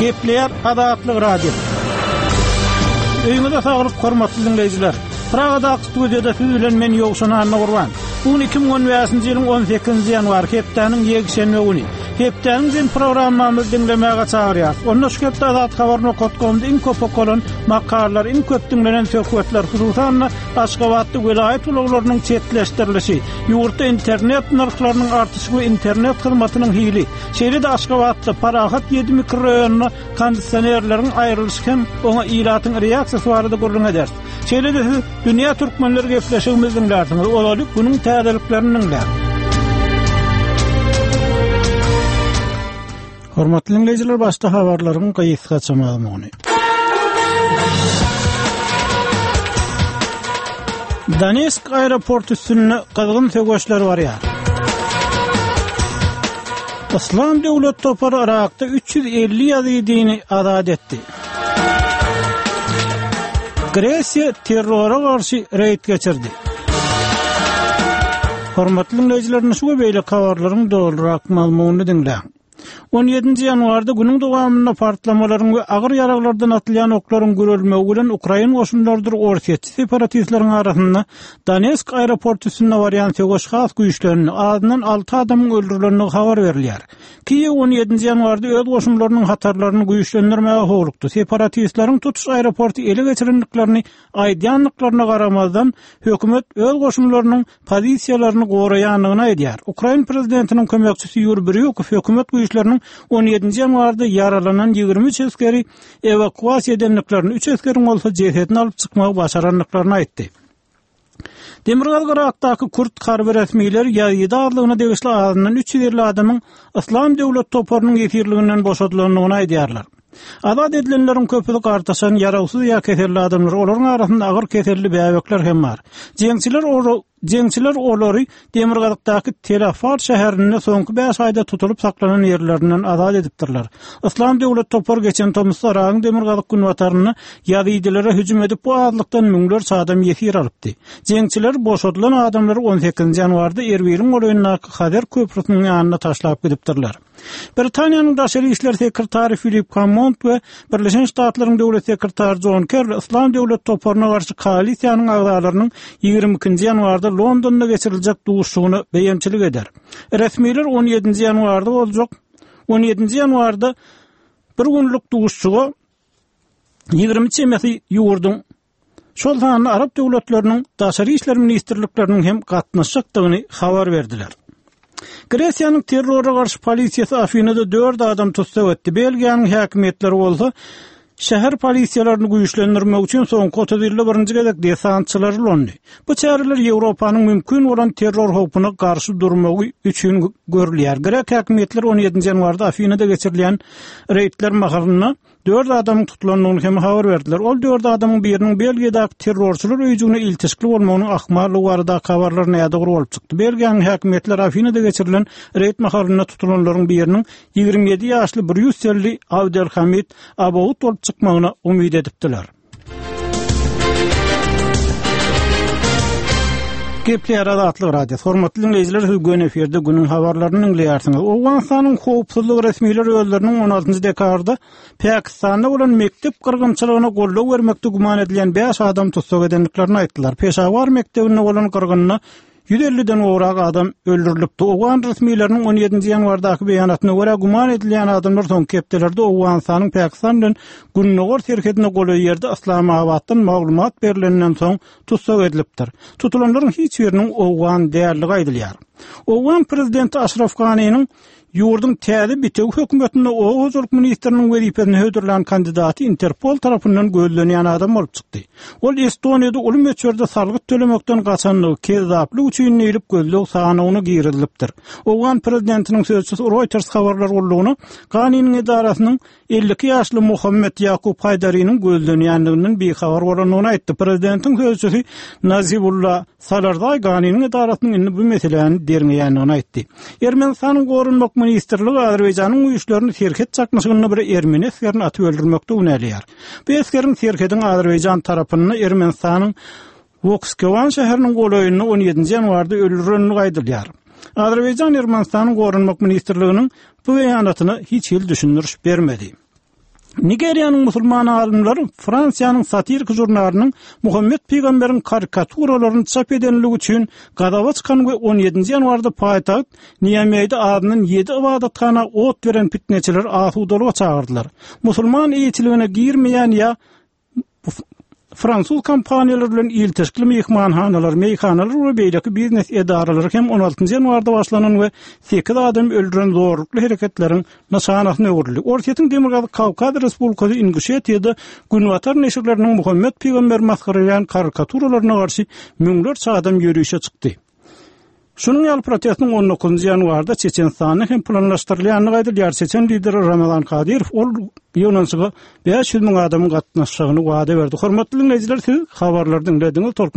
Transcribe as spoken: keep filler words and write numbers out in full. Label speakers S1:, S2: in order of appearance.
S1: Gepleýär Azatlyk Radiosy. Öýüňize saglyk, hormatly diňleýjiler! Pragadaky studiýada siz bilen men Ýowşan Annagurban. Bu gün iki müň on bäşinji ýylyň on sekizinji ýanwary, hepdäniň ýekşenbe güni. Hepdäniň jem programmamyzy diňlemäge çagyrýarys. Onda şu hepde Azathabar nokat komda iň köp okalan makalalar, iň köp diňlenen söhbetler, hususan-da Aşgabatda welaýat ulaglarynyň çetleşdirilişi, ýurtda internet nyrhlarynyň artyşy we internet hyzmatynyň hili, şeýle-de Aşgabatda Parahat ýedi mikroraýonynda kondisionerleriň aýrylyşy hem oňa ilatyň reaksiýasy barada gürrüň ederis. Şeýle-de siz Dünýä Türkmenleri gepleşigimizi diňlärsiňiz. Ozaly günüň täzeliklerini diňläň. Hormatly diňleýjiler, başda habarlaryň gysgaça mazmuny. Donetsk aeroporty üstünde gyzgyn söweşler barýar. Yslam döwlet topary Yrakda üç ýüz elli ýazidini azat etdi. Gresiýa terrora garşy reýd geçirdi. Hormatly diňleýjiler, şu we beýleki habarlaryň dolurak mazmunyny diňläň. On ýedinji ýanwarda günüň dowamynda partlamalaryň we agyr ýaraglardan atylýan oklaryň gürelmegi bilen ukrain goşunlarydyr orsýetçi separatistleriň arasynda Donetsk aeroporty üstünde barýan söweş has güýçlendi, azyndan alty adamyň öldürilendigi habar berilýär. Kiýew on ýedinji ýanwarda öz goşunlarynyň hatarlaryny güýçlendirmäge howlukdy. Separatistleriň tutuş aeroporty ele geçirendiklerini aýdýandyklaryna garamazdan, hökümet öz goşunlarynyň pozisiýalaryny goraýandygyny aýdýar. Ukrain prezidentiniň kömekçisi Ýuriý Brýukow hökümet güýçleriniň on ýedinji ýanwarda ýaralanan ýigrimi üç esgeri ewakuasiýa edendiklerini, üç esgeriň bolsa jesedini alyp çykmagy başarandyklaryny aýtdy. Demirgazyk Yrakdaky kürt harby resmileri ýazidi azlygyna degişli azyndan üç ýüz elli adamyň Yslam döwlet toparynyň ýesirliginden boşadylandygyny aýdýarlar. Azat edilenleriň köpüsi gartaşan, ýarawsyz ýa keselli adamlar, olaryň arasynda agyr keselli bäbekler hem bar. Jeňçiler ora-, jeňçiler olary demirgazykdaky Tel Afar şäherinde soňky bäş aýda tutulyp saklanan ýerlerinden azat edipdirler. Yslam döwlet topary geçen tomusda Yragyň demirgazyk günbatarynda ýazidilere hüjüm edip, bu azlykdan müňlerçe adam ýesir alypdy. Jeňçiler boşadylan adamlary on sekizinji ýanwarda Erbiliň golaýyndaky Hazer köprüsiniň ýanyna taşlap gidipdirler. Britaniýanyň daşary işler sekretary Filip Hammond we Birleşen Ştatlaryň döwlet sekretary John Kerry Yslam döwlet toparyna garşy koalisiýanyň agzalarynyň ýigrimi ikinji ýanwarda Londonda geçiriljek duşuşygyna beýemçilik eder. Resmiler on ýedinji ýanwarda boljak, on ýedinji ýanwarda bir günlük duşuşyga ýigrimi çemesi ýurduň, şol sanda Arap döwletleriniň daşary işler ministrlikleriniň hem gatnaşjakdygyny habar berdiler. Gresiýanyň terrora garşy polisiýasy Afinada dört adam tussag etdi. Belgiýanyň häkimiýetleri bolsa şäher polisiýalaryny güýçlendirmek üçin soňky otuz ýylda birinji gezek desantçylary ulandy. Bu çäreler Ýewropanyň mümkin bolan terror howpuna garşy durmagy üçin görülýär. Grek häkimiýetleri on ýedinji ýanwarda Afinada geçirilýän reýdler mahalynda dört adamyň tutulandygyny hem habar berdiler. Ol dört adamyň biriniň Belgiýadaky terrorçylar öýjügine iltişikli bolmagynyň ahmallygy baradaky habarlar nädogry bolup çykdy. Belgiýanyň häkimiýetleri Afinada geçirilen reýd mahalynda tutulanlaryň biriniň ýigrimi ýedi ýaşly Brýusselli Abdelhamid Abaoud bolup çykmagyna umyt edipdiler. Gepleýär Azatlyk Radiosy. Hormatly diňleýjiler, siz göni efirde günüň habarlaryny diňleýärsiňiz. Owganystanyň howpsuzlyk resmileri özleriniň on altynjy dekabrda Pakistanda bolan mekdep gyrgynçylygyna goldaw bermekde güman edilýän bäş adam tussag edendiklerini aýtdylar. Peşawar mekdebinde bolan gyrgynda ýüz elliden gowrak adam öldürilipdi. Owgan resmileriniň on ýedinji ýanwardaky beýanatyna görä güman edilýän adamlar soňky hepdelerde Owganystanyň Pakistan bilen gündogar serhedine golaý ýerde Yslamabatdan maglumat berilenden soň tussag edilipdir. Tutulanlaryň hiç biriniň owgan däldigi aýdylýar. Owgan prezidenti Aşraf Ganiniň ýurduň täze bitewi hökümetinde oba hojalyk ministriniň wezipesine hödürlän kandidaty Interpol tarapyndan gözlenýän adam bolup çykdy. Ol Estoniýada uly möçberde salgyt tölemekden gaçandygy kezzaplyk üçin diýlip gözleg sanawyna girizilipdir. Owgan prezidentiniň sözçüsi Reuters habarlar gullugyna Ganiniň edarasynyň elli iki ýaşly Muhammed Ýakup Haýdariniň gözlenýändiginden bihabar bolandygyny aýtdy. Prezidentiň sözçüsi Nazibulla Salarzaý Ganiniň edarasynyň indi bu meseläni derňeýändigini aýtdy. Ermenistanyň Goranmak ministrligi Azerbaýjanyň güýçlerini serhet çaknyşygynda bir ermeni esgerini atyp öldürmekde günäleýär. Bu esgeriň serhediň Azerbaýjan tarapynda Ermenistanyň Wokskewan şäheriniň golaýynda on ýedinji ýanwarda öldürilendigi aýdylýar. Azerbaýjan Ermenistanyň Goranmak ministrliginiň bu beýanatyna hiç hili düşündiriş bermedi. Nigeriýanyň musulman alymlary Fransiýanyň satiriki žurnalynyň Muhammet pygamberiň karikaturalaryny çap edenligi üçin gazaba çykan we on ýedinji ýanwarda paýtagt Niameýde azyndan ýedi ybadathana ot beren pitneçileri asudalyga çagyrdylar. Musulman eýeçiligine girmeýän ýa Fransuz kompaniýalary bilen ilteşikli myhmanhanalar, meýhanalar we beýleki biznes edaralary hem on altynjy ýanwarda başlanan we sekiz adamy öldüren zorlukly hereketleriň nyşanasyna öwrüldi. Orsýetiň Demirgazyk Kawkaz Respublikasy Inguşetiýada Günbatar neşirleriniň Muhammet pygamberi masgaralaýan karikaturalaryna garşy müňlerçe adam ýörişe çykdy. Şunuň ýaly protestiň on dokuzynjy ýanwarda Çeçenistanda hem planlaşdyrylýandygy aýdylýar. Çeçen lideri Ramazan Kadyrow ol ýygnanyşyga bäş ýüz müň adamyň gatnaşjagyny wada berdi. Hormatly diňleýjiler, siz habarlary diňlediňiz. Tolkun